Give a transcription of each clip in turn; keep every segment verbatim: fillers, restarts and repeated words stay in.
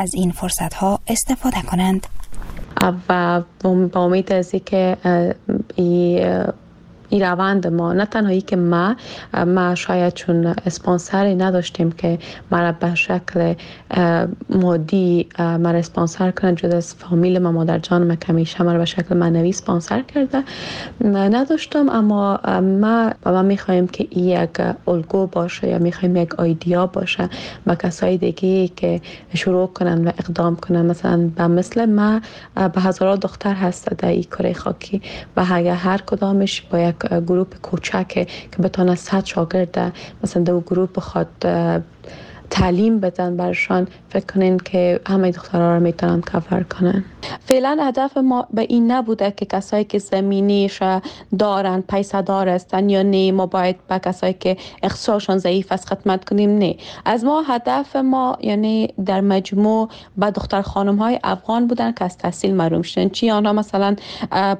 از این فرصت ها استفاده کنند. و با امید از اینکه این روند ما نه تنهایی که ما ما شاید چون اسپانسری نداشتیم که مرا به شکل مادی مرا اسپانسر کنن، جدا از فامیل ما، مادر جان ما که همیشه مرا به شکل معنوی اسپانسر کرده نداشتم، اما ما ما میخوایم که یک الگو باشه یا میخوایم یک ایدیا باشه با کسای دیگه که شروع کنن و اقدام کنن. مثلا به مثل ما به هزاران دختر هست در این کره خاکی و هر کدامش با یک گروپ کوچک که بتونه صد شاگرد مثلا دو گروپ بخواد تعلیم بدن برشان، فکر کنین که همه دخترها رو میتونن کاور کنن. فعلا هدف ما به این نبوده که کسایی که زمینیش دارن، پیسه دار هستن یا نه، ما باید به کسایی که اقتصادشان ضعیف است خدمت کنیم، نه. از ما هدف ما یعنی در مجموع به دختر خانم های افغان بودن که از تحصیل محروم شدن، چی آنها مثلا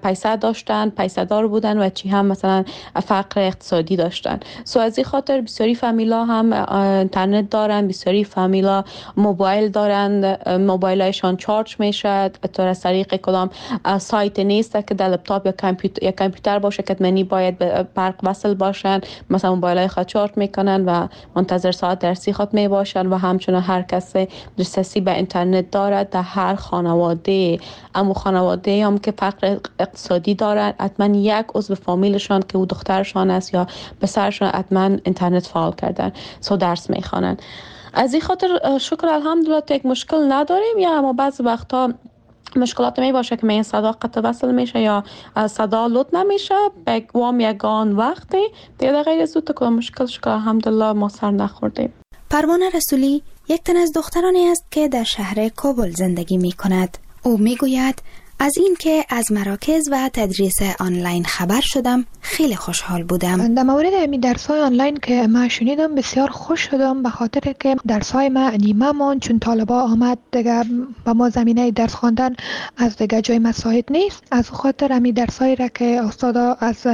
پیسه داشتن، پیسه دار بودن و چی هم مثلا فقر اقتصادی داشتن. سو از این خاطر بسیاری فامیلا هم اینترنت دارن، بسیاری فامیلا موبایل دارن، موبایلشان charge میشه تو از طریق کدام سایت نیست که در لپتاپ یا کامپیوتر یا کامپیوتر باشه که منی باید به برق وصل باشن، مثلا موبایل خود charge میکنن و منتظر ساعت درسی خود می باشن و همچنان هر کس دسترسی به اینترنت دارد در هر خانواده. اما خانواده هم که فقر اقتصادی دارن حتما یک عضو فامیلشان که او دخترشان است یا پسرشان حتما اینترنت فعال کردن، سو درس میخوانن. از این خاطر شکر الحمدلله یک مشکل نداریم، یا اما بعض وقتا مشکلات می باشه که می صدا قطع وصل میشه یا صدا لود نمیشه، به وام یگان وقتی دیگه غیر از تو مشکل شکر الحمدلله ما سر نخوردیم. پروانه رسولی یک تن از دخترانی است که در شهر کابل زندگی می کند. او می گوید از اینکه از مراکز و تدریس آنلاین خبر شدم خیلی خوشحال بودم. در مورد امی درس‌های آنلاین که من شنیدم بسیار خوش شدم، به خاطر که درس‌های ما نیمه مان چون طالبا آمد دیگه با ما زمینه درس خواندن از دیگه جای مساعد نیست. از خاطر امی درس‌هایی را که استادا از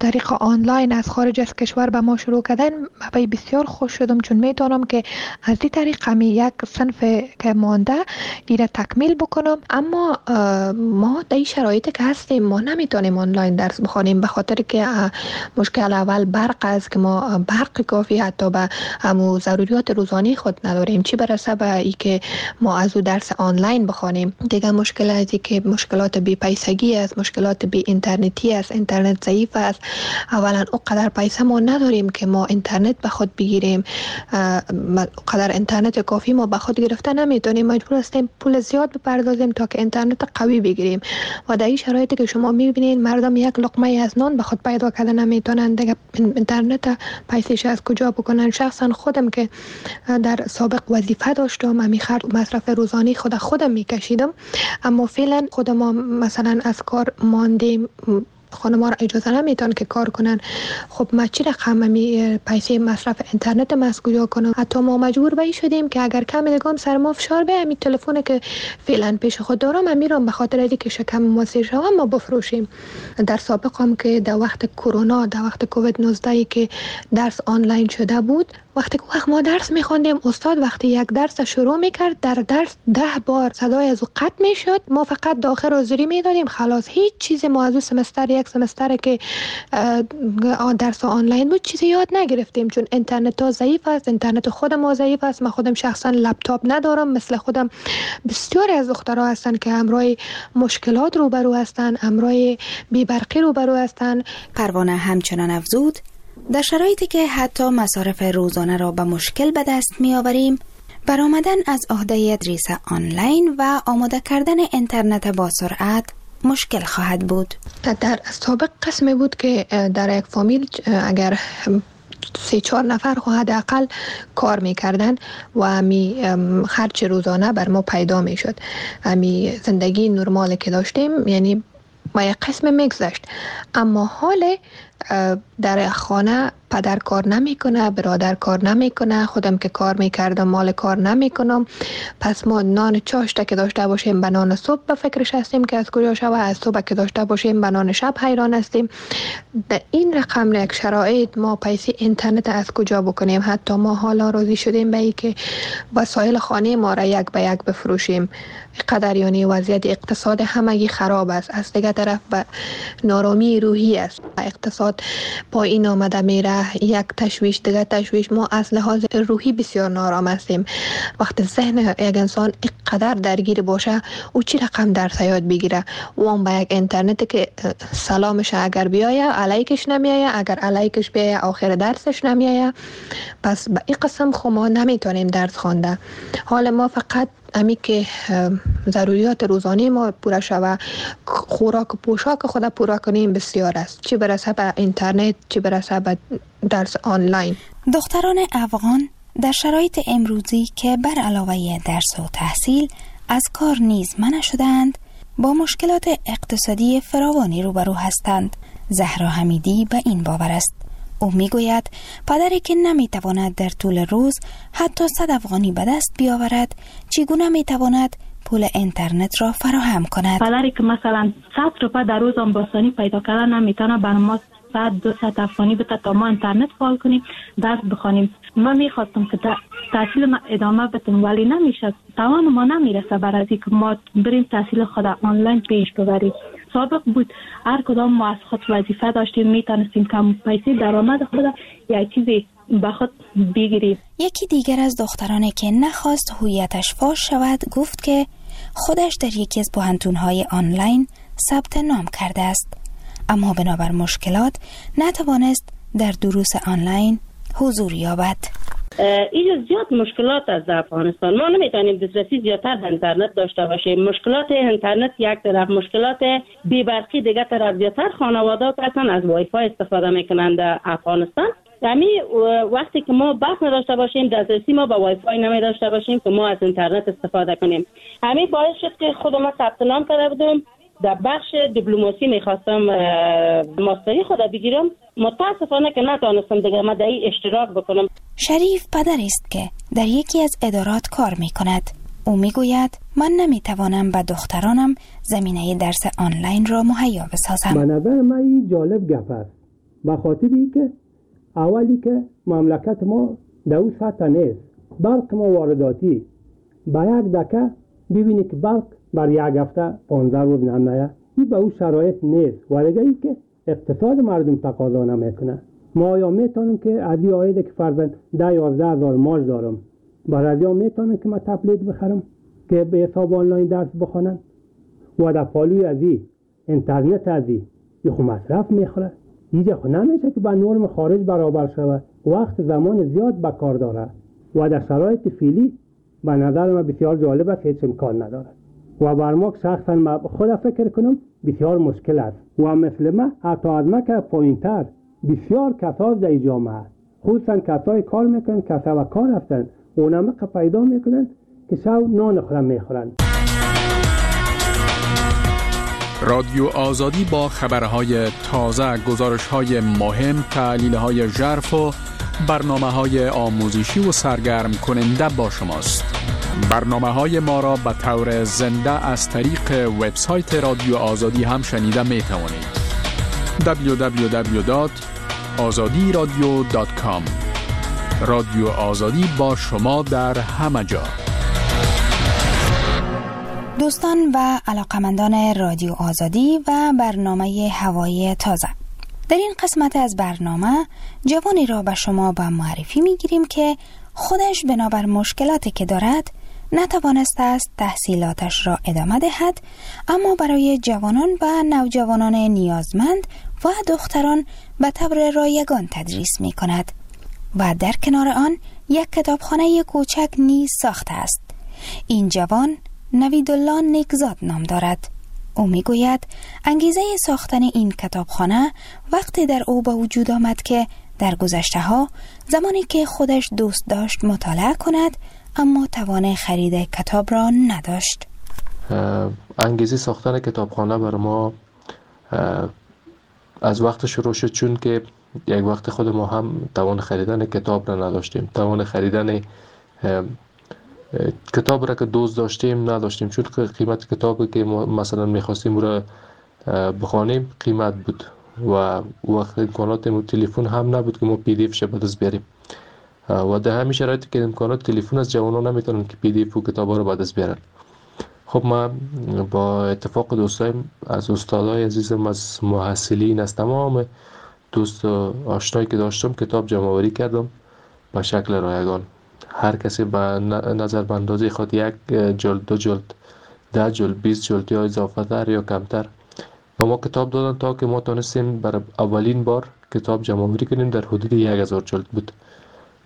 طریق آنلاین از خارج از کشور به ما شروع کردن من بسیار خوش شدم، چون میتونم که از این طریق امی یک صنف که مانده ایره تکمیل بکنم. اما ما در این شرایط که هستیم ما نمیتونیم آنلاین درس بخوانیم، به خاطر که مشکل اول برق است که ما برق کافی حتی به همو ضروریات روزانه خود نداریم، چی برسه به ای که ما از او درس آنلاین بخوانیم. دیگه مشکل از که مشکلات بی پیسگی است، مشکلات بی اینترنتی است، اینترنت ضعیف است. اولا اونقدر پیسه ما نداریم که ما اینترنت به خود بگیریم، قدر اینترنت کافی ما به خود گرفته نمیتونیم، مجبور هستیم پول زیاد بپردازیم تا که اینترنت قوی بگیریم. و در این شرایطی که شما میبینین مردم یک لقمه از نان به خود پیدا کردن نمیتونن، دیگه اینترنت پیسه‌ش از کجا بکنن. شخصا خودم که در سابق وظیفه داشتم امی خرج مصرف روزانه خود خودم میکشیدم، اما فعلا خودم مثلا از کار ماندیم، خانم‌ها را اجازه نمیتون که کار کنن. خب ما چی رقم می پیسه مصرف اینترنت ما از کجا کنم؟ حتی ما مجبور به شدیم که اگر کم دیگه سر ما فشار به می تلفن که فعلا پیش خود دارم میرم به خاطر اینکه شکم ما سیر شوم ما بفروشیم. در سابق هم که در وقت کرونا، در وقت کووید نوزده که درس آنلاین شده بود، وقتی که وقت ما درس میخوندیم استاد وقتی یک درس شروع میکرد در درس ده بار صدای از او قطع میشد، ما فقط داخل حاضری میدادیم خلاص. هیچ چیز ما از او سمستر یک سمستر که درس آنلاین بود چیزی یاد نگرفتیم، چون اینترنت ها ضعیف است، اینترنت خود ما ضعیف است. من خودم شخصا لپتاپ ندارم، مثل خودم بسیاری از دخترها هستن که همراه مشکلات روبرو هستن، همراه بی‌برقی روبرو هستن. پروانه همچنان افزود در شرایطی که حتی مصارف روزانه را به مشکل به دست می آوریم، برآمدن از عهده تدریس آنلاین و آماده کردن اینترنت با سرعت مشکل خواهد بود. در سابق قسمی بود که در یک فامیل اگر سه چهار نفر خو حداقل کار میکردن و می خرج روزانه بر ما پیدا میشد، می زندگی نرمال که داشتیم یعنی با یک قسم میگذشت. اما حال در خانه پدر کار نمیکنه، برادر کار نمیکنه، خودم که کار میکردم مال کار نمیکنم. پس ما نان چاشت که داشته باشیم به نان صبح به فکرش هستیم که از کجا شوه، از صبح که داشته باشیم به نان شب حیران هستیم. در این رقم یک شرایط ما پیسه اینترنت از کجا بکنیم؟ حتی ما حالا راضی شدیم به ای که وسایل خانه ما را یک به یک بفروشیم. قدر یعنی وضعیت اقتصاد همگی خراب است. از دیگر طرف به نارامی روحی است، اقتصاد پایین آمده میره، یک تشویش دیگر تشویش. ما از لحاظ روحی بسیار نارام هستیم. وقتی ذهن یک انسان اینقدر درگیر باشه او چی رقم درس یاد بگیره؟ و هم با یک اینترنت که سلامش اگر بیایه علیکش نمیایه، اگر علیکش بیایه آخر درسش نمیایه. پس به این قسم خو ما نمیتونیم درس خوانده. حال ما فقط امی که ضروریات روزانه ما پوره شوه، خوراک و پوشاک خود پوره کنیم بسیار است، چی برسه به اینترنت چی برسه به درس آنلاین. دختران افغان در شرایط امروزی که بر علاوه درس و تحصیل از کار نیز منع شدند، با مشکلات اقتصادی فراوانی روبرو هستند. زهرا حمیدی به این باور است. او میگوید پدری که نمیتواند در طول روز حتی صد افغانی به دست بیاورد، چگونه میتواند پول اینترنت را فراهم کند؟ پدری که مثلا صد روپه در روز هم باسانی پیدا کردن نمیتونه بر ما صد دو صد افغانی بده تا ما اینترنت فعال کنیم درس بخوانیم. ما میخواستم که تحصیل ما ادامه بدم ولی نمیشه، توان ما نمیرسه برای اینکه ما بریم تحصیل خود آنلاین پیش ببریم. سابق بود هر کدام ما از خود وظیفه داشتیم، میتونستیم کم پیسه درآمد خود یا چیزی به خود بگیریم. یکی دیگر از دخترانی که نخواست هویتش فاش شود گفت که خودش در یکی از پوهنتون‌های آنلاین ثبت نام کرده است، اما بنابر مشکلات نتوانست در دروس آنلاین حضور یابد. اینجا زیاد مشکلات از افغانستان، ما نمیتونیم دسترسی زیادتر به اینترنت داشته باشیم. مشکلات اینترنت یک طرف، مشکلات بی‌برقی دیگه طرف. زیادتر خانواده‌ها اصلا از وای فای استفاده میکنند در افغانستان. یعنی وقتی که ما برق نداشته باشیم، دسترسی ما به وای فای نمی داشته باشیم که ما از اینترنت استفاده کنیم. همین باعث شد که خود ما ثبت نام کرده بودم در بخش دیپلماسی، میخواستم ماستری خود بگیرم، متاسفانه که نتونستم دیگه من در این اشتراک بکنم. شریف پدر است که در یکی از ادارات کار میکند. او میگوید من نمیتوانم به دخترانم زمینه درس آنلاین را مهیا بسازم. به نظر من این جالب گپ است، به خاطر اینکه اولی که مملکت ما در او سطح نیست، برق ما وارداتی، با یک دکه ببینی که برق بر یک هفته پانزده روز نمیه، این به او شرایط نیست. و دیگه ای که اقتصاد مردم تقاضا نمیکنه. ما آیا میتونم که از این عاید که فرضاً ده یازده هزار ماش دارم، برای از میتونم که من تبلت بخرم که به حساب آنلاین درس بخوانن و در پالوی از این اینترنت از این خو مصرف میخوره. اینجا خو نمیشه که با نرم خارج برابر شود، وقت زمان زیاد به کار داره و در شرایط فعلی به نظر من بسیار جالب است، هیچ امکان نداره و بر ما شخصا ما خود فکر کنم بسیار مشکل است و مثل ما حتی از ما که پایین‌تر بسیار کساس در جامعه، خصوصا کسای کار میکنن، کسا و کار هستن، اونم که پیدا میکنن که شو نان خورن میخورن. رادیو آزادی با خبرهای تازه، گزارش‌های مهم، تحلیل‌های ژرف و برنامه‌های آموزشی و سرگرم کننده با شماست. برنامه‌های ما را به طور زنده از طریق وبسایت رادیو آزادی هم شنیده می توانید. دبلیو دبلیو دبلیو دات آزادی رادیو دات کام. رادیو آزادی با شما در همه جا. دوستان و علاقمندان رادیو آزادی و برنامه هوای تازه، در این قسمت از برنامه جوانی را به شما به معرفی میگیریم که خودش بنابر مشکلاتی که دارد نتوانسته است تحصیلاتش را ادامه دهد، اما برای جوانان و نوجوانان نیازمند و دختران به طور رایگان تدریس می کند و در کنار آن یک کتابخانه کوچک نیز ساخته است. این جوان نویدالله نیکزاد نام دارد. او میگوید انگیزه ساختن این کتابخانه وقتی در او به وجود آمد که در گذشته ها زمانی که خودش دوست داشت مطالعه کند، اما توان خرید کتاب را نداشت. انگیزه ساختن کتابخانه بر ما از وقت شروع شد، چون که یک وقت خود ما هم توان خریدن کتاب را نداشتیم، توان خریدن کتاب را که دوست داشتیم نداشتیم، چون قیمت کتابی که ما مثلا میخواستیم را بخوانیم قیمت بود و وقت امکانات تلفن هم نبود که ما PDF ش به دست بیاریم و در همین شرایطی که امکانات تلفن از جوانان نمیتونن که PDF و کتابا رو به دست بیارن. خب ما با اتفاق دوستایم، از استادای عزیزم، از محصلین، از تمام دوست و آشنایی که داشتم کتاب جمع آوری کردم به شکل رایگان. هر کسی به نظر به اندازه خود یک جلد، دو جلد، ده جلد، بیست جلد یا اضافه تر یا کمتر و ما کتاب دادن تا که ما تانستیم برای اولین بار کتاب جمع آوری کنیم. در حدود یک هزار جلد بود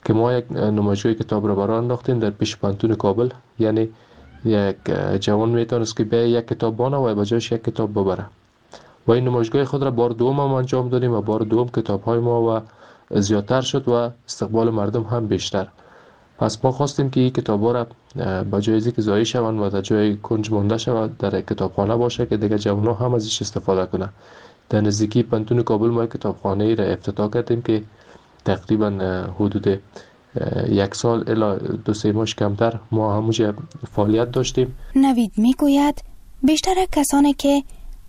که ما یک نمایشگاه کتاب را برای انداختیم در پیش پانتون کابل. یعنی یک جوان میتونست که به یک کتاب بانه و به جایش یک کتاب ببره و این نمایشگاه خود را بار دوم هم انجام دادیم و بار دوم کتاب های ما و زیادتر شد و استقبال مردم هم بیشتر. پس ما خواستیم که این کتاب ها را با جای که ضایع شوند و در جای کنج مانده شود در کتابخانه باشه که دیگه جوان ها هم ازش استفاده کنند. در نزدیکی پانتون کابل ما کتابخانه ای را افتتاح کردیم که تقریبا حدود یک سال الی دو سه ماه کمتر ما همونجا فعالیت داشتیم. نوید میگوید بیشتر کسانی که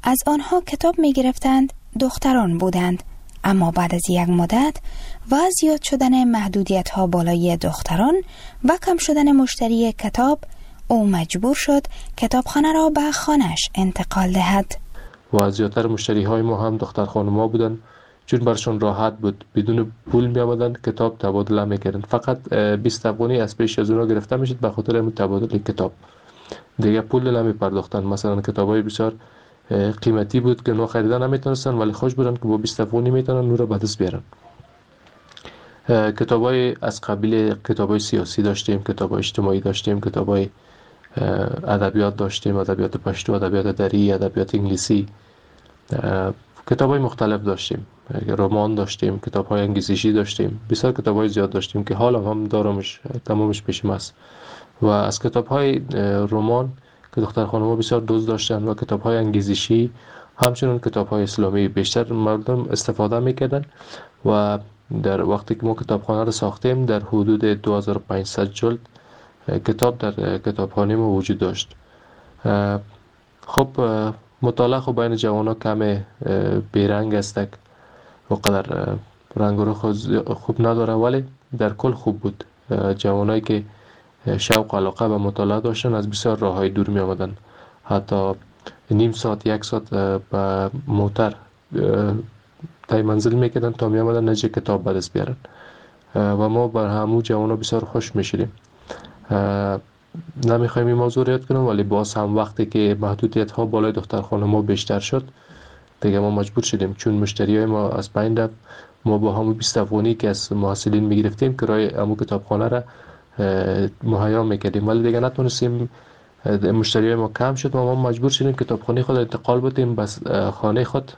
از آنها کتاب میگرفتند دختران بودند، اما بعد از یک مدت و زیاد شدن محدودیت ها بالای دختران و کم شدن مشتری کتاب، او مجبور شد کتابخانه را به خانه‌اش انتقال دهد. و زیادتر مشتری های ما هم دختر خانم ها بودند، چون برشون راحت بود، بدون پول می آمدن کتاب تبادله میکردن. فقط بیست افغانی از پیش از اونا گرفته میشد به خاطر تبادل کتاب، دیگه پول نمی پرداختن. مثلا کتاب های بسیار قیمتی بود که اونا خریدن نمیتونستن، ولی خوش بودن که با بیست افغانی میتونن اون رو به دست بیارن. کتاب های از قبیل کتاب های سیاسی داشتیم، کتاب های اجتماعی داشتیم، کتاب های ادبیات داشتیم، ادبیات پشتو، ادبیات دری، ادبیات انگلیسی، کتاب های مختلف داشتیم، رمان داشتیم، کتاب های انگیزشی داشتیم، بسیار کتاب های زیاد داشتیم که حالا هم دارمش، تمامش پیشم است. و از کتاب های رمان که دختر خانم‌ها بسیار دوست داشتن و کتاب های انگیزشی، همچنین کتاب های اسلامی بیشتر مردم استفاده میکردن. و در وقتی که ما کتابخانه را ساختیم در حدود دو هزار و پانصد جلد کتاب در کتابخانه ما وجود داشت. خب مطالعه خب بین جوان ها کم بیرنگ است و قدر رنگ رو خوب نداره، ولی در کل خوب بود. جوانایی که شوق و علاقه به مطالعه داشتن از بسیار راه های دور می آمدن، حتی نیم ساعت یک ساعت به موتر تای منزل میکردن تا می آمدن نجه کتاب به دست بیارن و ما بر همو جوان ها بسیار خوش می شدیم. نمیخوایم این موضوع رو یاد کنم، ولی باز هم وقتی که محدودیت ها بالای دختر خانم ها بیشتر شد دیگه ما مجبور شدیم، چون مشتری های ما از بین رفت. ما با همون بیست افغانی که از محصلین میگرفتیم کرای همون کتابخانه را مهیا میکردیم، ولی دیگه نتونستیم، مشتری های ما کم شد و ما مجبور شدیم کتابخانه خود انتقال بدیم بس خانه خود.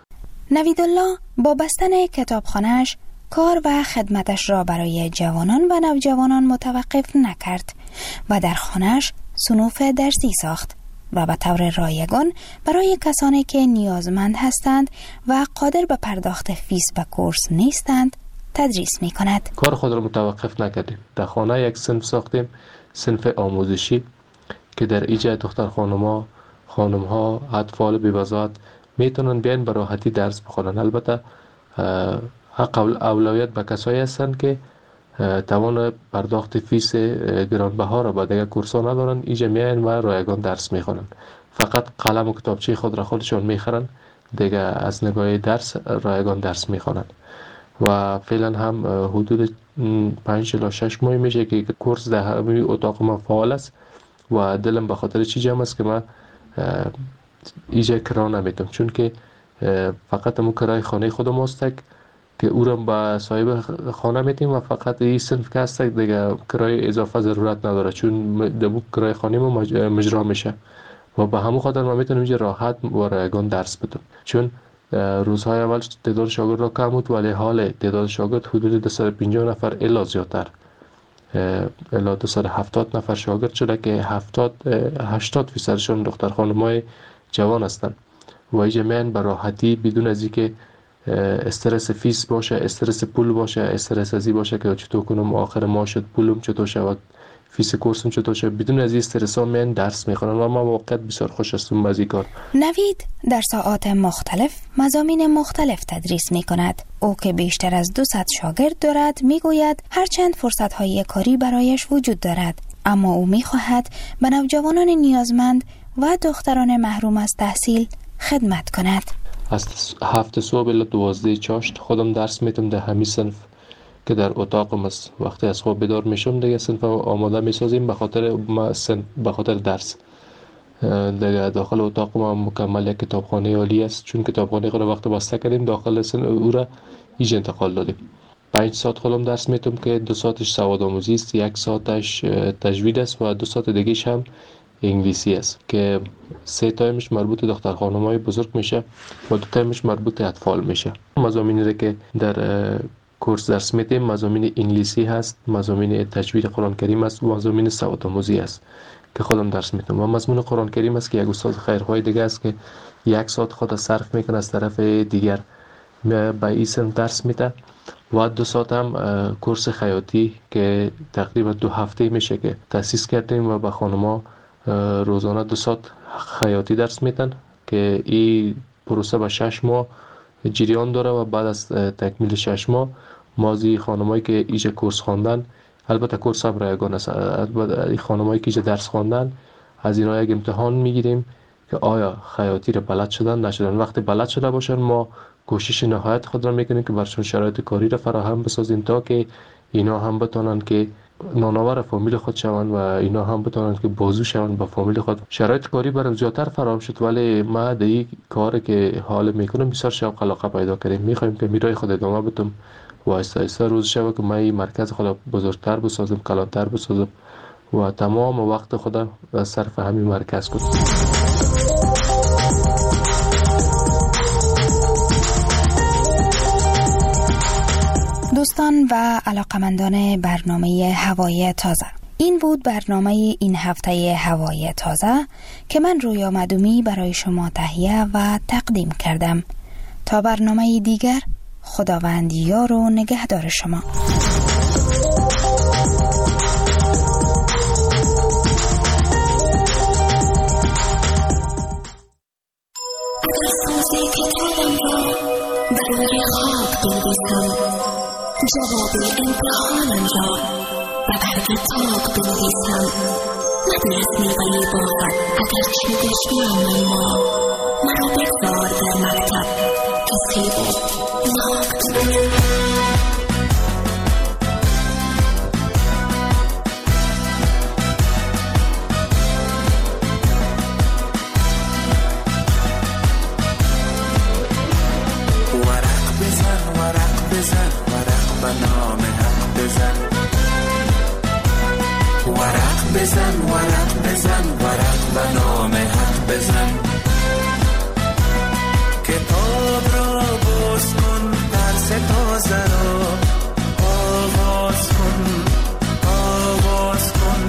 نویدالله با بستن کتابخانه‌اش کار و خدمتش را برای جوانان و نوجوانان متوقف نکرد و در خانه‌اش صنوف درسی ساخت و به طور رایگان برای کسانی که نیازمند هستند و قادر به پرداخت فیس و کورس نیستند تدریس می کند. کار خود را متوقف نکردیم. در خانه یک صنف ساختیم، صنف آموزشی که در ایجا دختر خانم‌ها، خانم‌ها، اطفال بی‌بضاعت میتونن بیان به راحتی درس بخوانن. البته حق اولویت به کسایی هستند که توان پرداخت فیس گرانبها را به دیگر کورس‌ها ندارن، اینجا میاین و رایگان درس میخوانن. فقط قلم و کتابچه خود را خودشان میخرن، دیگه از نگاه درس رایگان درس میخوانن. و فعلا هم حدود پنج الی شش ماه میشه که کورس در همین اتاق ما فعال است و دلم به خاطر چی جمع است که من اینجا کرا نمیتم، چون که فقط مو کرای خانه خودم است که او را به صاحب خانه میتیم و فقط این صنف که هست دیگه کرای اضافه ضرورت نداره، چون دمو کرای خانه ما مجرا میشه و به همون خاطر ما میتونیم اینجا راحت و رایگان درس بدم. چون روزهای اول تعداد شاگرد را کم بود، ولی حال تعداد شاگرد حدود دویست و پنجاه نفر الا زیادتر، الا دویست و هفتاد نفر شاگرد شده که هفتاد هشتاد فیصدشون دختر خانمای جوان هستند و اینجا میان به راحتی بدون از اینکه استرس فیس باشه، استرس پول باشه، استرس ازی باشه که چطور کنم آخر ماه شد پولم چطور شود، فیس کورسم چطور شد، بدون از این استرس ها من درس میخوانم و ما واقعا بسیار خوش هستم از این کار. نوید در ساعات مختلف مضامین مختلف تدریس میکند. او که بیشتر از دویست شاگرد دارد میگوید هرچند فرصت های کاری برایش وجود دارد، اما او میخواهد به نوجوانان نیازمند و دختران محروم از تحصیل خدمت کند. از هفت صبح الی دوازده چاشت خودم درس میتم در همین صنف که در اتاقم است. وقتی از خواب بیدار میشم دیگه صنف آماده میسازیم به خاطر به خاطر درس. دیگه داخل اتاق ما مکمل یک کتابخانه عالی است، چون کتابخانه خود وقت بسته کردیم داخل صنف او را ایج انتقال دادیم. پنج ساعت خودم درس میتم که دو ساعتش سواد آموزی است، یک ساعتش تجوید است و دو ساعت دیگهش هم انگلیسی است که سه تایمش مربوط دختر خانم‌های بزرگ میشه و دو تایمش مربوط اطفال میشه. مضامینی را که در کورس درس میدیم مضامین انگلیسی هست، مضامین تجوید قرآن کریم است و مضامین سواد آموزی است که خودم درس میدم و مضمون قرآن کریم است که یک استاد خیرخواه دیگه است که یک ساعت خود صرف میکنه از طرف دیگر به این سن درس میده و دو ساعت هم کورس خیاطی که تقریبا دو هفته میشه که تأسیس کردیم و به خانم‌ها روزانه دو ساعت خیاطی درس میدن که این پروسه به شش ماه جریان داره و بعد از تکمیل شش ماه مازی خانمایی که ایجا کورس خواندن، البته کورس هم رایگان است، البته خانمایی که ایجا درس خواندن از اینا یک امتحان میگیریم که آیا خیاطی را بلد شدن نشدن. وقتی بلد شده باشن ما کوشش نهایت خود را میکنیم که برشون شرایط کاری را فراهم بسازیم تا که اینا هم بتونن که نانآور فامیل خود شوند و اینا هم بتونن که بازو شوند با فامیل خود. شرایط کاری برام زیادتر فراهم شد، ولی ما در این کار که حال میکنم بسیار شوق علاقه پیدا کردیم. میخوایم که میرای خود ادامه بدم و آهسته آهسته روز شوه که ما این مرکز خود بزرگتر بسازم، کلانتر بسازم و تمام وقت خود صرف همین مرکز کنم. دوستان و علاقمندان برنامه هوای تازه، این بود برنامه این هفته هوای تازه که من رویا مدومی برای شما تهیه و تقدیم کردم. تا برنامه دیگر، خداوند یار و نگهدار شما. جواب امتحانم را و برگ تاک بنویسم. مدر از میوه باغت اگر چه دشمنم، ما مرا بگذار در مکتب که سیب و ناک بنویسم. ورق بزن ورق بزن ورق به نام حق بزن، ورق بزن ورق بزن ورق به نام حق بزن. کتاب را باز کن، درس تازه را آغاز کن، آغاز کن.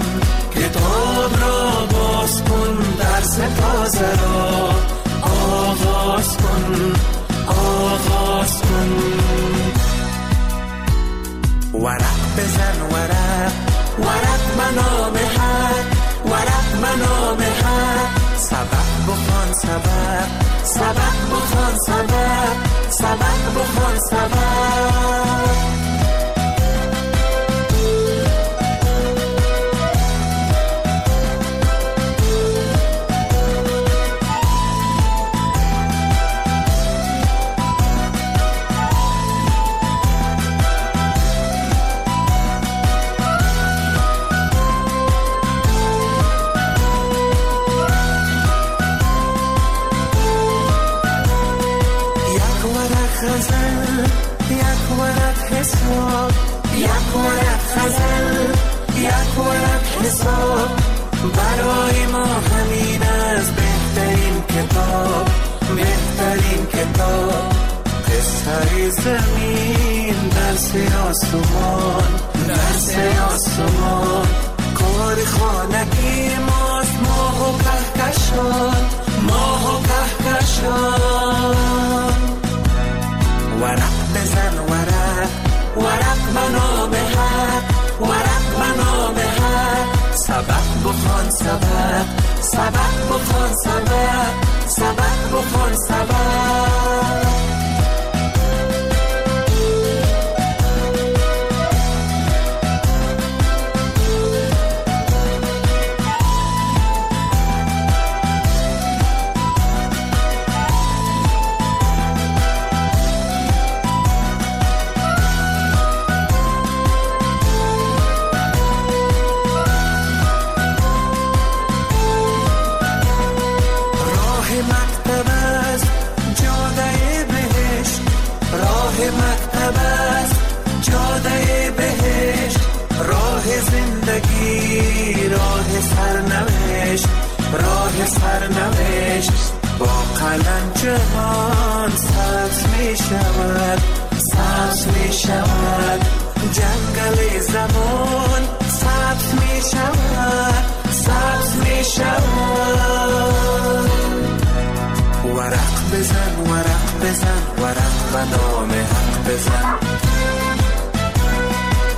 کتاب را باز کن، درس تازه را آغاز کن، آغاز کن. ورق بزن ورق، ورق به نام حق، ورق به نام حق. سبق بخوان سبق، سبق بخوان سبق، سبق بخوان سبق. یک ورق غزل، یک ورق حساب، برای ما همین از بهترین کتاب، بهترین کتاب. قصه زمین، درس آسمان، درس آسمان. کار خانگی ماست، ماه و کهکشان، ماه و کهکشان. سبق، سبق بخوان سبق، سبق بخوان سبق. سرنوشت، راه سرنوشت، با قلم جهان سبز می شود، سبز می شود، جنگل زمان سبز می شود، سبز می شود. ورق بزن، ورق بزن، ورق به نام حق بزن،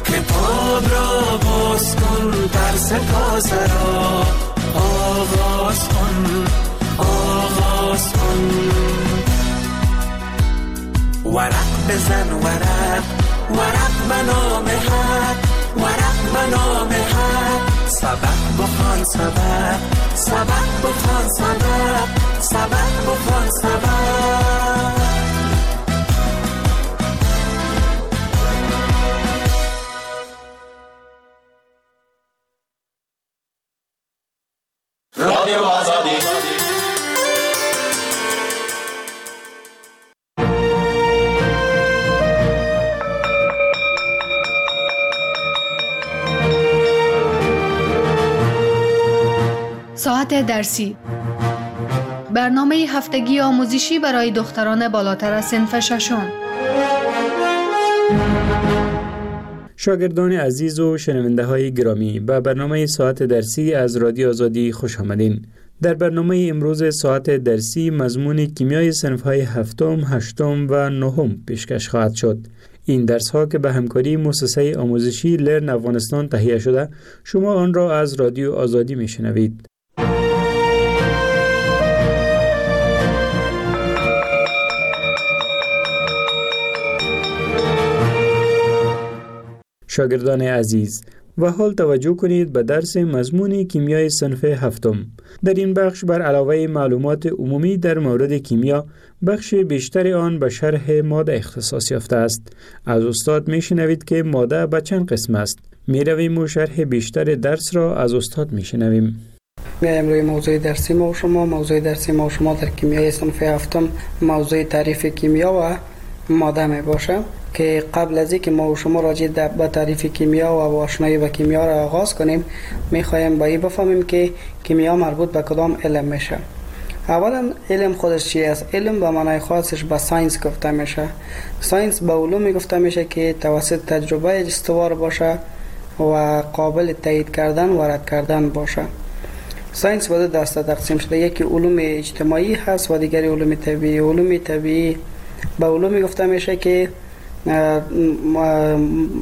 کتاب را باز کن، درس تازه را آغاز کن، آغاز کن. ورق بزن ورق، ورق به نام حق، ورق به نام حق، سبق بخوان سبق، سبق بخوان سبق، سبق بخوان سبق. رادیو آزادی. ساعت درسی، برنامه هفتگی آموزشی برای دختران بالاتر از صنف ششم. شاگردان عزیز و شنونده های گرامی، به برنامه ساعت درسی از رادیو آزادی خوش آمدین. در برنامه امروز ساعت درسی مضمون کیمیای صنف های هفتم، هشتم و نهم پیشکش خواهد شد. این درس ها که به همکاری مؤسسه آموزشی لرن افغانستان تهیه شده، شما آن را از رادیو آزادی میشنوید. شاگردان عزیز، و حال توجه کنید به درس مضمون کیمیای صنف هفتم. در این بخش بر علاوه معلومات عمومی در مورد کیمیا، بخش بیشتر آن به شرح ماده اختصاص یافته است. از استاد میشنوید که ماده به چند قسم است. میرویم و شرح بیشتر درس را از استاد میشنویم. میایم روی موضوع درسی ما و شما. موضوع درسی ما و شما در کیمیای صنف هفتم موضوع تعریف کیمیا و ماده می باشه که قبل از اینکه ما و شما راجع به تعریف کیمیا و آشنایی با کیمیا را آغاز کنیم، میخوایم با این بفهمیم که کیمیا مربوط به کدام علم میشه. اولا علم خودش چی است؟ علم به معنای خاصش به science گفته میشه. science به علومی گفته میشه که توسط تجربه استوار باشه و قابل تایید کردن و رد کردن باشه. science به دو دسته تقسیم شده، یکی علوم اجتماعی هست و دیگری علوم طبیعی. علوم طبیعی به علومی گفته میشه که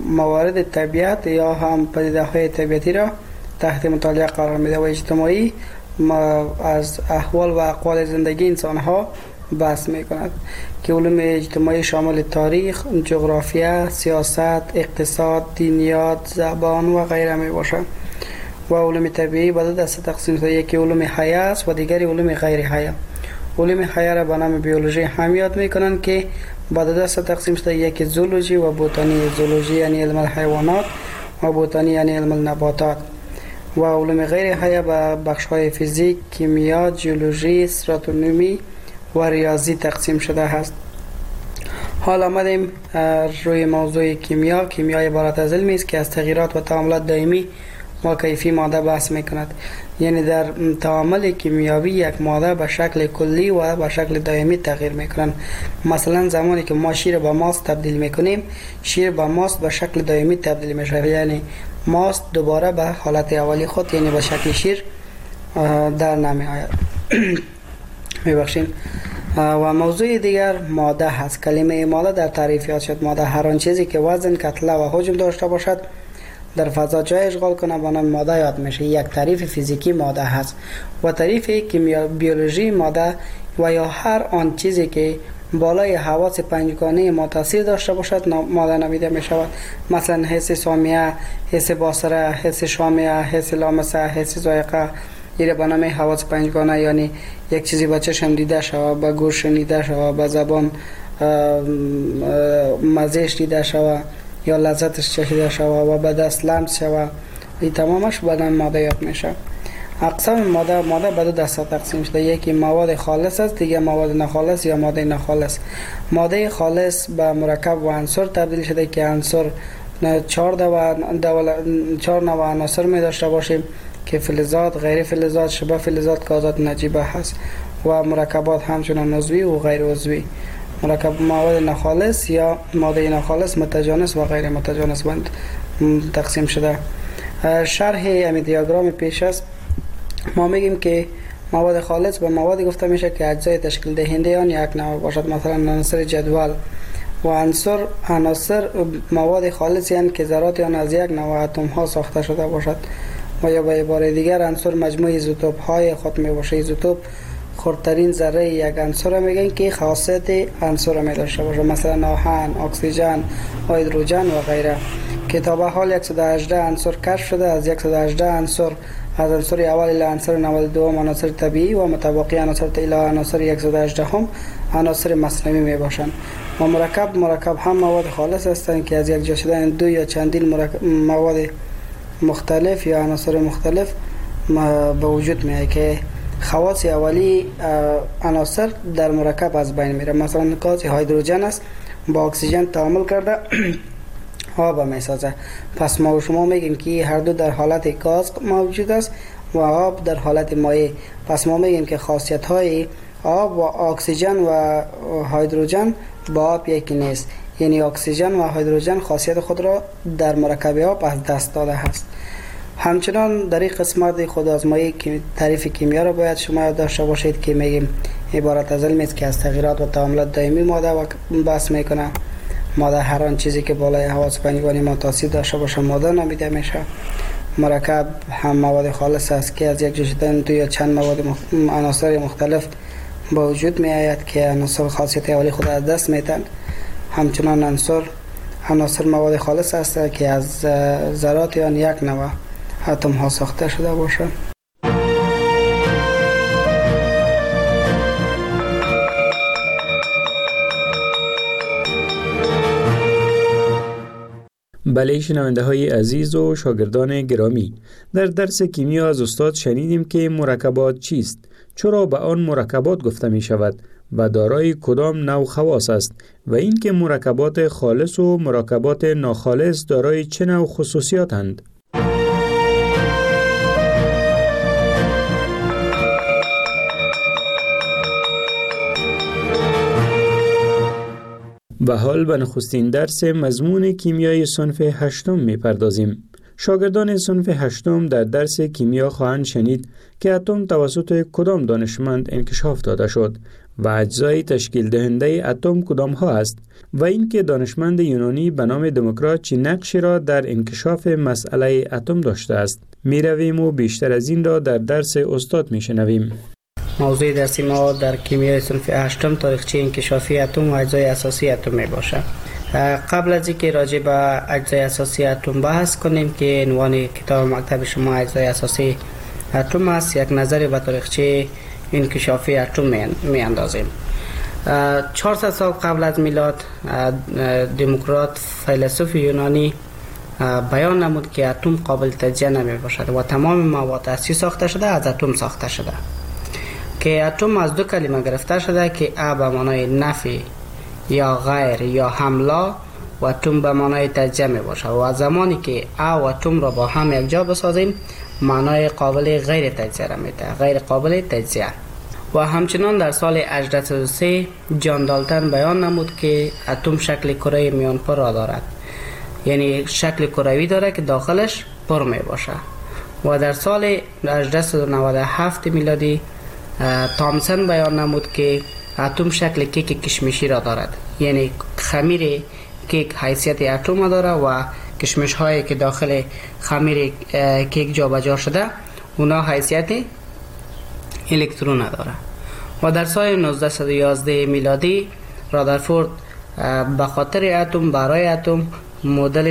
موارد طبیعت یا هم پدیده های طبیعتی را تحت مطالعه قرار میده و اجتماعی از احوال و اقوال زندگی انسان ها بحث میکند که علوم اجتماعی شامل تاریخ، جغرافیا، سیاست، اقتصاد، دینیات، زبان و غیره می باشد. و علوم طبیعی به دو دسته تقسیم شده، یکی علوم حیه است و دیگری علوم غیر حیه. علوم حیه را به نام بیولوژی هم یاد میکنند که به دو دسته تقسیم شده، یکی زولوژی و بوتانی. زولوژی یعنی علم الحیوانات و بوتانی یعنی علم النباتات. و علوم غیر حیه به بخش های فیزیک، کیمیا، جیولوژی، استراتونومی و ریاضی تقسیم شده است. حالا آمدیم روی موضوع کیمیا. کیمیا عبارت از علمی است که از تغییرات و تعاملات دائمی و کیفی ماده بحث میکند. یعنی در تعامل کیمیاوی یک ماده به شکل کلی و به شکل دائمی تغییر میکنند. مثلا زمانی که ما شیر به ماست تبدیل میکنیم، شیر به ماست به شکل دائمی تبدیل میشه، یعنی ماست دوباره به حالت اولی خود یعنی به شکل شیر در نمی آید. میبخشین. و موضوع دیگر ماده هست. کلمه ماده در تعریف یاد شد. ماده هر آن چیزی که وزن، کتله و حجم داشته باشد در فضا جای اشغال کنه با نام ماده یاد میشه. یک تعریف فیزیکی ماده هست و تعریف کیمیا بیولوژی ماده و یا هر آن چیزی که بالای حواس پنجگانه ما تاثیر داشته باشد ماده نامیده می شود. مثلا حس سامیه، حس باصره، حس شامیه، حس لامسه، حس ذائقه، ایره به نام حواس پنجگانه، یعنی یک چیزی با چشم دیده شود، با گوش شنیده شود، با زبان مزهش دیده شود یا لذتش چشیده شود و به دست لمس شود، این تمامش به نام ماده یاد میشه. اقسام ماده، ماده به دو دسته تقسیم شده، یکی مواد خالص است، دیگه مواد ناخالص یا ماده ناخالص. ماده خالص به مرکب و عنصر تبدیل شده که عنصر چهار دو چهار نوع عناصر می داشته باشیم که فلزات، غیر فلزات، شبه فلزات، گازات نجیبه هست و مرکبات همچنان عضوی و غیر عضوی. مرکب مواد ناخالص یا ماده ناخالص متجانس و غیر متجانس بند تقسیم شده. شرح امی دیاگرام پیش است. ما میگیم که مواد خالص به موادی گفته میشه که اجزای تشکیل دهنده آن یک نوع باشد، مثلا عناصر جدول و عنصر عناصر مواد خالص یعنی که ذرات آن از یک نوع اتم ها ساخته شده باشد و یا به عبارت دیگر عنصر مجموع ایزوتوپ های خود می باشه. ایزوتوپ خردترین ذره یک عنصر میگن که خاصیت عنصر می داشته باشه، مثلا آهن، اکسیژن، هیدروژن و غیره. که تا به حال صد و هجده عنصر کشف شده، از صد و هجده عنصر از عنصر اول الی عنصر نود و دو عناصر طبیعی و متباقی عناصر الی عناصر صد و هجده هم عناصر مصنوعی می باشند. و مرکب مرکب هم مواد خالص هستند که از یک جا شدن دو یا چندین مرکب مواد مختلف یا عناصر مختلف به وجود می آید که خواص اولی عناصر در مرکب از بین میره. مثلا گاز هیدروژن است، با اکسیژن تعامل کرده آب می سازه. پس ما و شما میگیم که هر دو در حالت گاز موجود است و آب در حالت مایع. پس ما میگیم که خاصیت های آب و اکسیژن و هیدروژن با آب یکی نیست، یعنی اکسیژن و هیدروژن خاصیت خود را در مرکب آب از دست داده است. همچنان در این قسمت خودآزمایی تعریف کیمیا را باید شما داشته باشید که میگیم عبارت از علمی است که از تغییرات و تعاملات دائمی ماده و بحث میکنه. ماده هر آن چیزی که بالای حواس پنجگانه ما تاثیر داشته باشه ماده نامیده میشه. مرکب هم مواد خالص است که از یک جا شدن دو یا چند مواد مخ... عناصر مختلف با وجود می آید که عناصر خاصیت اولی خود از دست میدن. همچنان عنصر عناصر مواد خالص است که از ذرات آن یک نوع اتم ها ساخته شده باشه. بله شنونده های عزیز و شاگردان گرامی، در درس کیمیا از استاد شنیدیم که مرکبات چیست، چرا به آن مرکبات گفته می شود و دارای کدام نوع خواص است و اینکه مرکبات خالص و مرکبات ناخالص دارای چه نوع خصوصیاتند. و حال به نخستین درس مضمون کیمیای صنف هشتم می‌پردازیم. شاگردان صنف هشتم در درس کیمیا خواهند شنید که اتم توسط کدام دانشمند انکشاف داده شد و اجزای تشکیل دهنده اتم کدام ها است و اینکه دانشمند یونانی به نام دموکرات چه نقشی را در انکشاف مسئله اتم داشته است. می‌رویم و بیشتر از این را در درس استاد می‌شنویم. موضوع درسی ما در کیمیای صنف هشتم تاریخچه انکشافی اتم و اجزای اساسی اتم می باشد. قبل از اینکه راجع به اجزای اساسی اتم بحث کنیم که عنوان کتاب مکتب شما اجزای اساسی اتم است، یک نظر به تاریخچه انکشافی اتم می اندازیم. چهارصد سال قبل از میلاد دموکرات فیلسوف یونانی بیان نمود که اتم قابل تجزیه نمی باشد و تمام مواد اصلی ساخته شده از اتم ساخته شده، که اتم از دو کلمه گرفته شده که ا به معنای نفی یا غیر یا حملا و اتم به معنای تجزیه می باشه و زمانی که ا و اتم را با هم یک جا بسازیم معنای قابل غیر تجزیه را میده، غیر قابل تجزیه. و همچنان در سال هجدهصد و سه جان دالتن بیان نمود که اتم شکل کره میان پر را دارد، یعنی شکل کروی داره که داخلش پر می باشه. و در سال هجدهصد و نود و هفت میلادی تامسن بیان نمود که اتم شکل کیک کشمشی را دارد، یعنی خمیر کیک حیثیت اتم داره و کشمش هایی که داخل خمیر کیک جابجا شده اونا حیثیت الکترون نداره. و در سال نوزده و یازده میلادی رادرفورد به خاطر اتم برای اتم مدل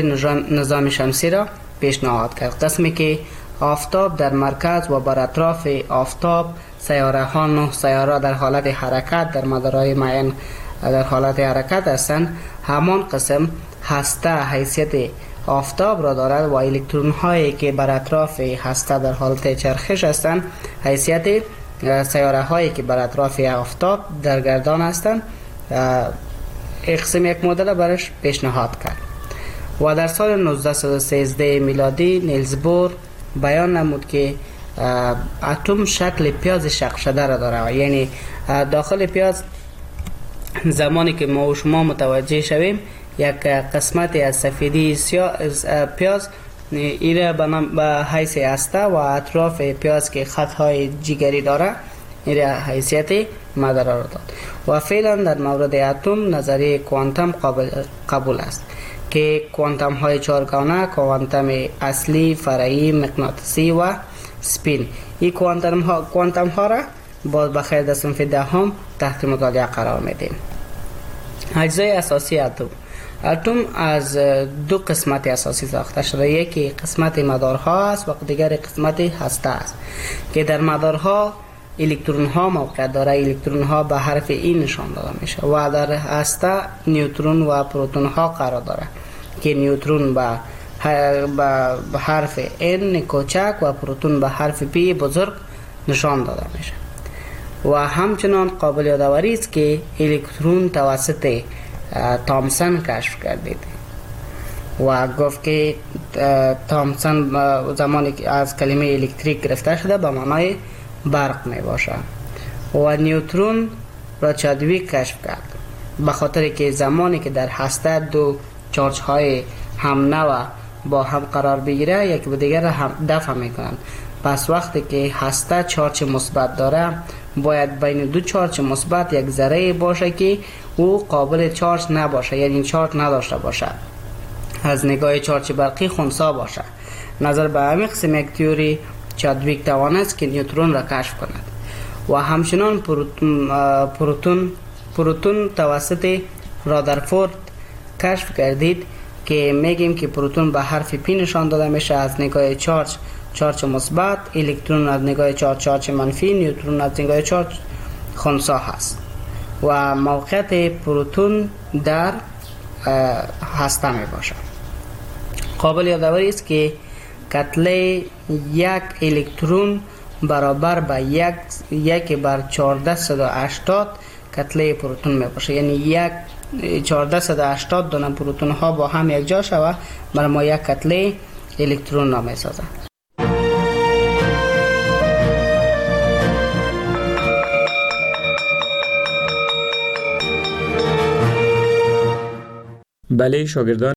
نظام شمسی را پیشنهاد کرد، قسمی که آفتاب در مرکز و بر اطراف آفتاب سیاره ها نه سیاره در حالت حرکت در مدارهای معین در حالت حرکت هستند، همان قسم هسته حیثیت آفتاب را دارد و الکترون هایی که بر اطراف هسته در حالت چرخش هستند حیثیت سیاره هایی که بر اطراف آفتاب در گردان هستند. اقسم یک مدل برش پیشنهاد کرد. و در سال نوزده و سیزده میلادی نیلز بور بیان نمود که اتم شکل پیاز شق شده را داره، یعنی داخل پیاز زمانی که ما و شما متوجه شویم یک قسمت از سفیدی سیاه پیاز ایره به حیث هسته و اطراف پیاز که خطهای جیگری داره ایره حیثیت مدار را داد. و فعلا در مورد اتم نظریه کوانتوم قابل قبول است که کوانتوم های چهارگانه، کوانتوم اصلی، فرعی، مغناطیسی و سپین، این کوانتوم ها کوانتوم ها را باز بخیر در صنف دهم تحت مطالعه قرار میدیم. اجزای اساسی اتم. اتم از دو قسمت اساسی ساخته شده، یکی قسمت مدارها است و دیگر قسمت هسته است که در مدارها الکترون ها موقع داره، الکترون ها به حرف ای نشان داده میشه و در هسته نیوترون و پروتون ها قرار داره که نیوترون به حرف N کوچک و پروتون به حرف P بزرگ نشان داده میشه. و همچنان قابل یادآوری است که الکترون توسط تامسن کشف کردید و گفت که تامسن زمانی که از کلمه الکتریک گرفته شده به معنای برق می باشه. و نیوترون را چادویک کشف کرد به خاطر که زمانی که در هسته دو چارج های هم نوع با هم قرار بگیره یک به دیگر را هم دفع میکنند. پس وقتی که هسته چارج مثبت داره باید بین دو چارج مثبت یک ذره باشه که او قابل چارج نباشه، یعنی چارج نداشته باشه، از نگاه چارج برقی خنثی باشه. نظر به همین قسم یک تئوری چادویک توانست که نیوترون را کشف کند. و همچنان پروتون پروتون پروتون توسط رادرفورد کشف کردید که میگیم که پروتون به حرف پی نشان داده میشه از نگاه چارج چارج مثبت، الکترون از نگاه چارج چارج منفی، نیوترون از نگاه چارج خنثی هست و موقعیت پروتون در هسته می باشد. قابل یادآوری است که کتله یک الکترون برابر به یک یک بر چهارده صد و هشتاد کتله پروتون می باشه، یعنی یک چهارده صد و هشتاد دانه پروتون ها با هم یک جا شوه برای ما یک کتله الکترون را می سازد. بله شاگردان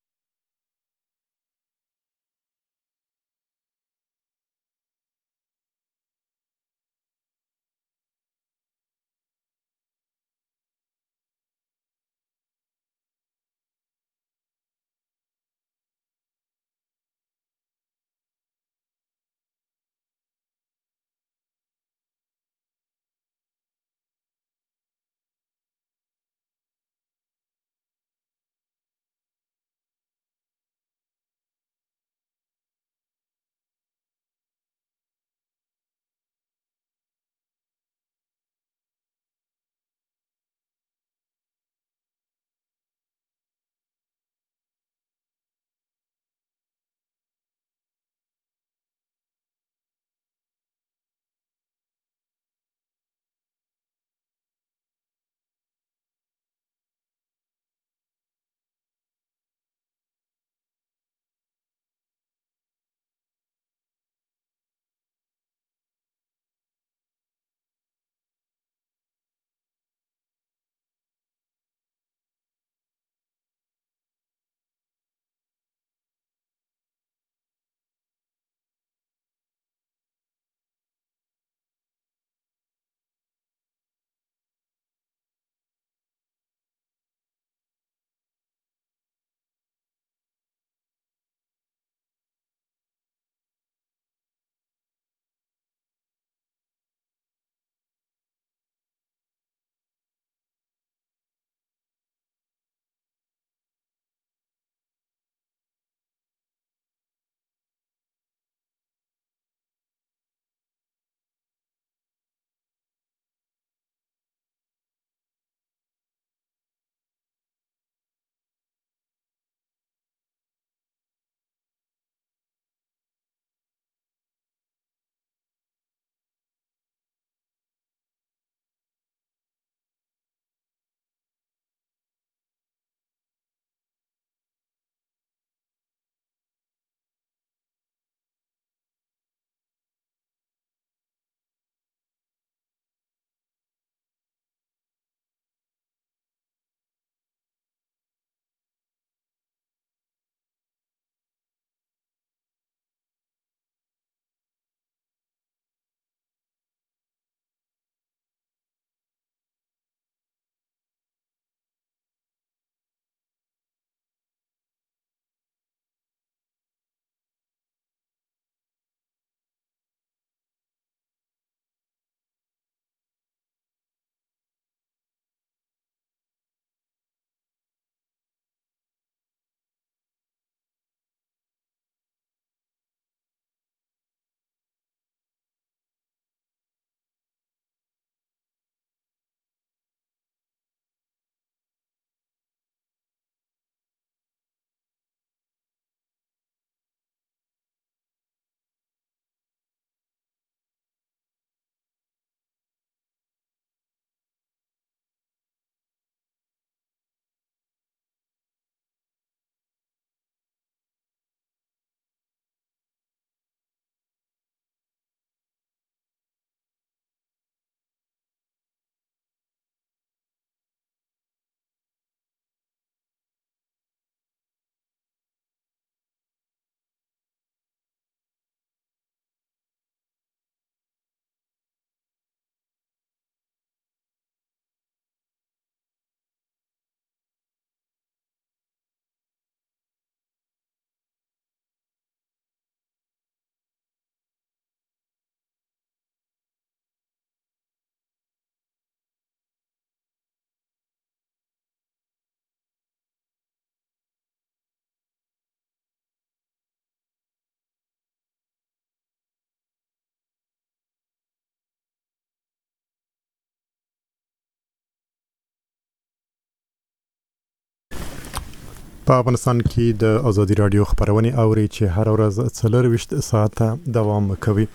په افغانستان کې د ازادي راډیو خبرونه اوري چې هر ورځ څلورویشت ساعته دوام کوي.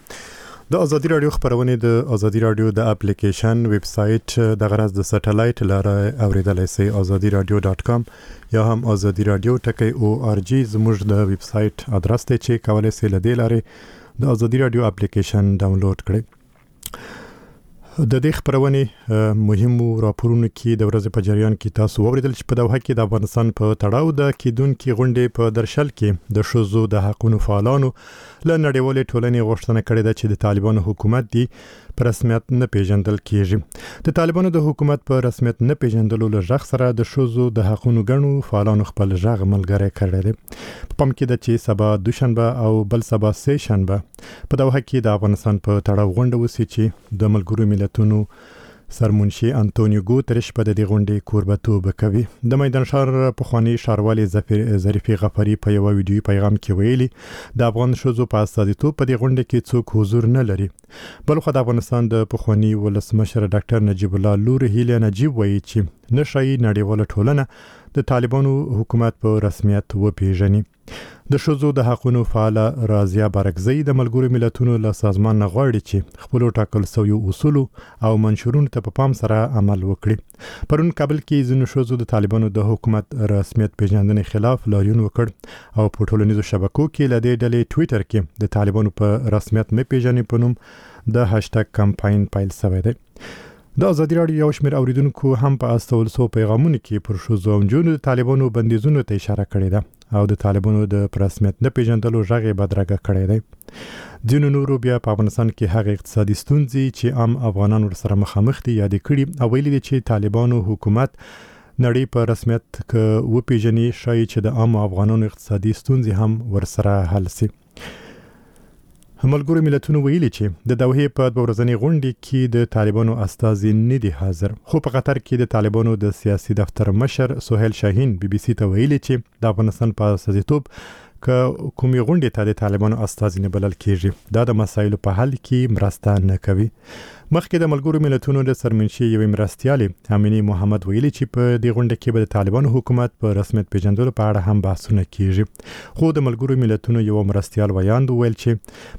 د ازادي راډیو خبرونه د ازادي راډیو د اپلیکیشن، ویب سایټ، د غرض د سټلایټ لاره اوریدلای شئ. ازادي راډیو ډاټ کام یا هم ازادي راډیو ټکی او آر جی زموږ د ویب سایټ ادرس دی چې کولای شئ له دې لارې د ازادي راډیو اپلیکیشن ډاونلوډ کړئ. د دې خبرونې مهمو راپورونو کې د ورځې په جریان کې تاسو واورېدل چې په دوحه کې د افغانستان په تړاو د کېدونکې غونډې په درشل کې د ښځو د حقونو فعالانو له نړیوالې ټولنې غوښتنه کړې ده چې د طالبانو حکومت دی په رسمیت نه پیژندل کیږي. د طالبانو د حکومت په رسمیت نه پیژندلو له غږ سره د ښځو د حقونو ګڼو فعالانو خپل غږ ملګری کړی دی. په پام کې ده چې سبا دوشنبه او بل سبا سه شنبه په دوحه کې د افغانستان په تړاو غونډه وشي چې د ملګرو ملتونو سرمنشي انټونیو ګوترش په دې غونډې کوربتوب کوي. د میدان ښار پخوانی ښاروالي ظریفي غفاري په یوه ویډیويي پیغام کې ویلي، د افغان ښځو په استازیتوب په دې غونډه کې څوک حضور نه لري. بلخوا د افغانستان د پخواني ولسمشر ډاکټر نجیب الله لور هیله نجیب وایي چې نه ښایي نړیواله ټولنه د طالبانو حکومت په رسمیت وپیژني. د ښځو د حقونو فعاله راضیه بارکزۍ د ملګرو ملتونو له سازمان نه غواړي چې خپلو ټاکل سویو اصولو او منشورونو ته په پام سره عمل وکړي. پرون کابل کې ځینو ښځو د طالبانو د حکومت رسمیت پیژندنې خلاف لاریون وکړ او په ټولنیزو شبکو کې له دې ډلې ټویټر کې د طالبانو په رسمیت نه پیژنې په نوم د هشټګ کمپاین پیل شوی دی. د ازادي راډیو یو شمېر اوریدونکو هم په استول سو پیغامونو کې پر ښځو او نجونو د طالبانو بندیزونو ته اشاره کړې ده او د طالبانو د په رسمیت نه پیژندلو غږ یې بدرګه کړی دی. ځینو نورو بیا په افغانستان کې هغه اقتصادي ستونزې چې عام افغانان ورسره مخامخ دي یادې کړي او ویلي دي چې طالبانو حکومت نړۍ په رسمیت که وپیژني ښایي چې د عامو افغانانو اقتصادي ستونزې هم ورسره حل سي. ملګرو ملتونو ویلي چې د دوحې په دوه ورځنۍ غونډې کې د طالبانو استازي نه دي حاضر، خو په قطر کې د طالبانو د سیاسي دفتر مشر سهیل شاهین بي بي سي ته ویلي چې د افغانستان په استازیتوب که کومې غونډې ته د طالبانو استازي نه بلل کیږي دا د مسایلو په حل کې مرسته نه کوي. مخکې د ملګرو ملتونو د سرمنشي یوې مرستیالې امینې محمد ویلي چې په دې غونډه کې به د طالبانو حکومت په رسمیت پیژندلو په اړه هم بحثونه کیږي، خو د ملګرو ملتونو یو مرستیال ویاند وویل چې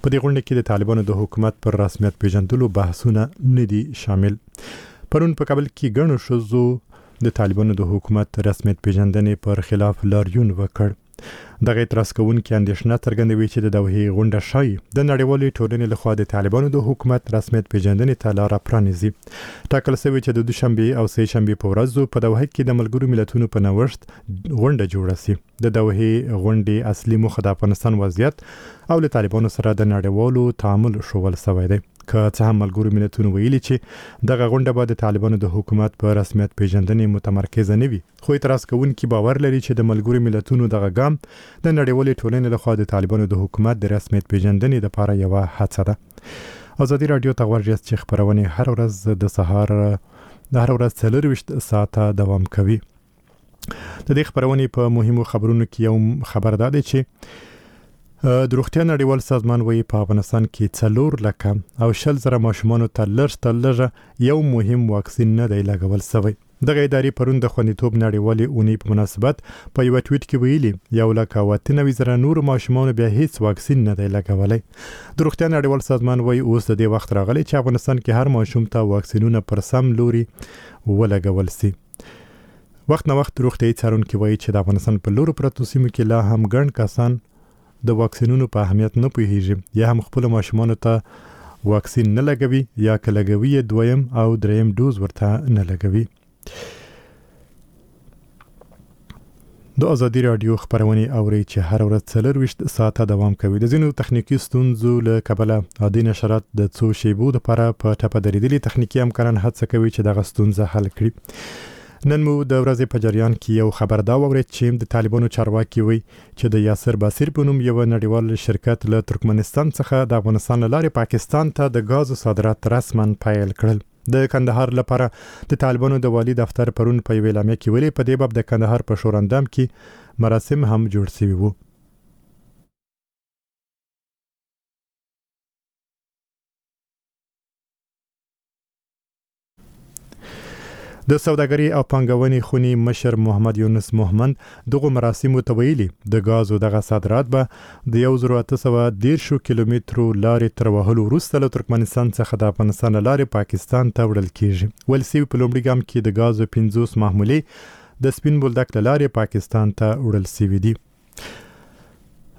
په دې غونډه کې د طالبانو د حکومت پر رسمیت پیژندلو بحثونه نه دي شامل. پرون په کابل کې ګڼو ښځو د طالبانو د حکومت رسمیت پیژندنې پر خلاف لاریون وکړ. دغه اعتراض کوونکي اندېښنه څرګندوي چې د دوحې غونډه ښایي د نړیوالې ټولنې لخوا د طالبانو د حکومت رسمیت پیژندنې ته لاره پرانیزي. ټاکل شوې چې د دوشنبې او سه شنبې په ورځو په دوحه کې د ملګرو ملتونو په نوښت غونډه جوړه شي. د دوحې غونډې اصلي موخه د افغانستان وضعیت او له طالبانو سره د نړیوالو تعامل ښوول شوی دی. که څه هم ملګرو ملتونو ویلي چې دغه غونډه به د طالبانو د حکومت په رسمیت پیژندنې متمرکزه نه وي، خو اعتراض کوونکي باور لري چې د ملګرو ملتونو دغه ګام د نړیوالې ټولنې لخوا د طالبانو د حکومت د رسمیت پیژندنې لپاره یوه هڅه ده. ازادي راډیو ته غوږ یاست چې خپرونې هر ورځ د سهار د هر ورځ څلورویشت ساعته دوام کوي. د دې خپرونې په مهمو خبرونو کې یو خبر دا دی چې د روغتیا نړیوال سازمان وایي په افغانستان کې څلور لکه او شل زره ماشومانو ته لږ تر لږه یو مهم واکسین نه دی لګول شوی. دغه ادارې پرون د خوندیتوب نړیوالې اونۍ په مناسبت په یوه ټویټ کې ویلي یو لک او اته نوي زره نورو ماشومانو بیا هیڅ واکسین نه دی لګولی. د روغتیا نړیوال سازمان وایي اوس د دې وخت راغلی چې افغانستان کې هر ماشوم ته واکسینونه پر سم لوري ولګول سي. وخت نه وخت روغتیايي څارونکي وایي چې د افغانستان په لورو پرتو سیمو کې لا هم ګڼ کسان د واکسینونو په اهمیت نه پوهیږي یا هم خپلو ماشومانو ته واکسین نه لګوي یا که لګوي یې دویم او دریم ډوز ورته نه لګوي. د ازادي راډیو خپرونې اورئ چې هره ورځ څلورویشت ساعته دوام کوي. د ځینو تخنیکي ستونزو له کبله عادي نشرات د څو شیبو لپاره په ټپه درېدلي. تخنیکي همکاران هڅه کوي چې دغه ستونزه حل کړي. نن مو د ورځې په جریان کې یو خبر دا واورېد چې د طالبانو چارواکي وایي چې د یاسر بصیر په نوم یو نړیوال شرکت له ترکمنستان څخه د افغانستان له لارې پاکستان ته د ګازو صادرات رسما پیل کړل. د کندهار لپاره د طالبانو د والي دفتر پرون په یوه اعلامیه کې ویلي په دې باب د کندهار په شورندام کې مراسم هم جوړ شوي وو. د د سوداګرۍ او پانګونې خونې مشر محمد یونس مهمند دغو مراسمو ته ویلي، د ګازو دغه صادرات به د یو زرو اته سوه دېرشو کیلومترو لارې تر وهلو وروسته له ترکمنستان څخه د افغانستان له لارې پاکستان ته وړل کیږي. ویل سوي په لومړي ګام کې د ګازو پنځوس محمولې د سپین بولدک له لارې پاکستان ته وړل سوي دي.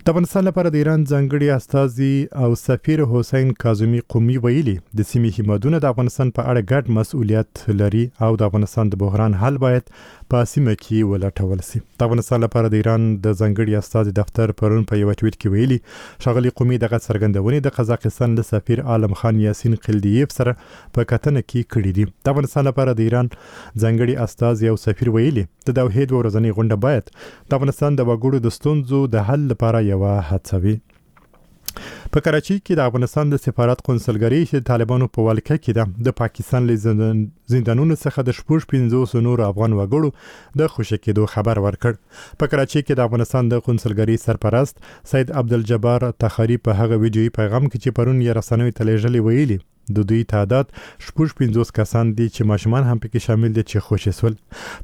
د افغانستان لپاره د ایران ځانګړي استازي او سفیر حسین کاظمي قمي ویلي، د سیمې هیوادونه د افغانستان په اړه ګډ مسؤلیت لري او د افغانستان د بحران حل باید په سیمه کې ولټول سي. د افغانستان لپاره د ایران د ځانګړي استازي دفتر پرون په یوه ټویټ کې ویلي، ښاغلي قمي دغه څرګندونې د قزاقستان له سفیر عالم خان یاسین قلدیف سره په کتنه کې کړې دي. د افغانستان لپاره د ایران ځانګړي استازي او سفیر ویلي، د دوحې دوه ورځنۍ غونډه باید د افغانستان د وګړو د ستونزو د حل لپاره یوه هڅه وي. په کراچۍ کې د افغانستان د سفارت قونسلګري چې د طالبانو په ولکه کې ده، د پاکستان له زندانونو څخه د شپږ پنځوسو نورو افغان وګړو د خوشې کېدو خبر ورکړ. په کراچۍ کې د افغانستان د قونسلګري سرپرست سید عبدالجبار تخاري په هغه ویډیويي پیغام کې چې پرون یې رسنیو ته لېږلی ویلي، د دوی تعداد شپږ پنځوس کسان دي چې ماشومان هم پکې شامل دي چې خوشې سول.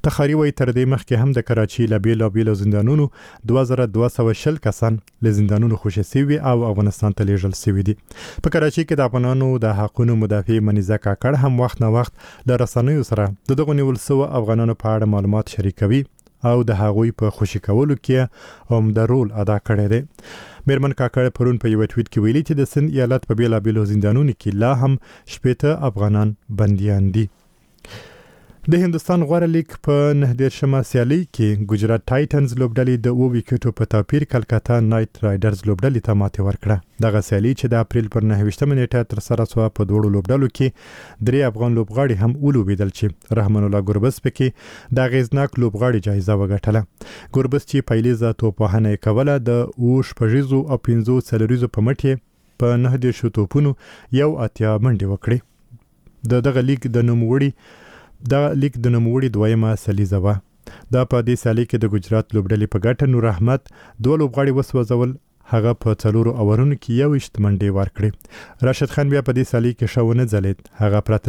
تخاري وایي تر دې مخکې هم د کراچۍ له بېلابېلو زندانونو دوه زره دوه سوه شل کسان له زندانونو خوشې سوي او افغانستان ته لېږل سوي دي. په کراچۍ کې د افغانانو د حقونو مدافع منیزه کاکړ هم وخت نا وخت له رسنیو سره د دغو نیول سوو افغانانو په اړه معلومات شریکوي او د هغوی په خوشې کولو کې عمده رول ادا کړی دی. میرمن کاکړ پرون په یوه ټویټ کې ویلي چې د سند ایالت په بېلابېلو زندانونو کې لا هم شپېته افغانان بندیان دي. د هندوستان غوره لیګ په نهه دېرشمه سیالۍ کې ګجرات ټایټنز لوبډلې د اوو ویکټو په توپیر کلکته نایټ رایډرز لوبډلې ته ماتې ورکړه. دغه سیالي چې د اپریل پر نهه ویشتمه نېټه ترسره شوه، په دواړو لوبډلو کې درې افغان لوبغاړي هم ولوبېدل چې رحمان الله ګربز پکې د اغېزناک لوبغاړي جایزه وګټله. ګربز چې پیلیزه توپوهنه یې کوله، د اوو شپږیزو او پنځو څلوریزو په مټ یې په نهه دېرشو توپونو یو اتیا منډې وکړې. د دغه لیګ د نوموړي دا لیګ د نوموړي دویمه سلیزه وه. دا په دې سیالۍ کې د ګجرات لوبډلې په ګټه نور احمد دوه لوبغاړي وسوځول، هغه په څلورو اورونو کې یوویشت منډې ورکړې. راشد خان بیا په دې سیالۍ کې ښه ونه ځلېد، هغه پرته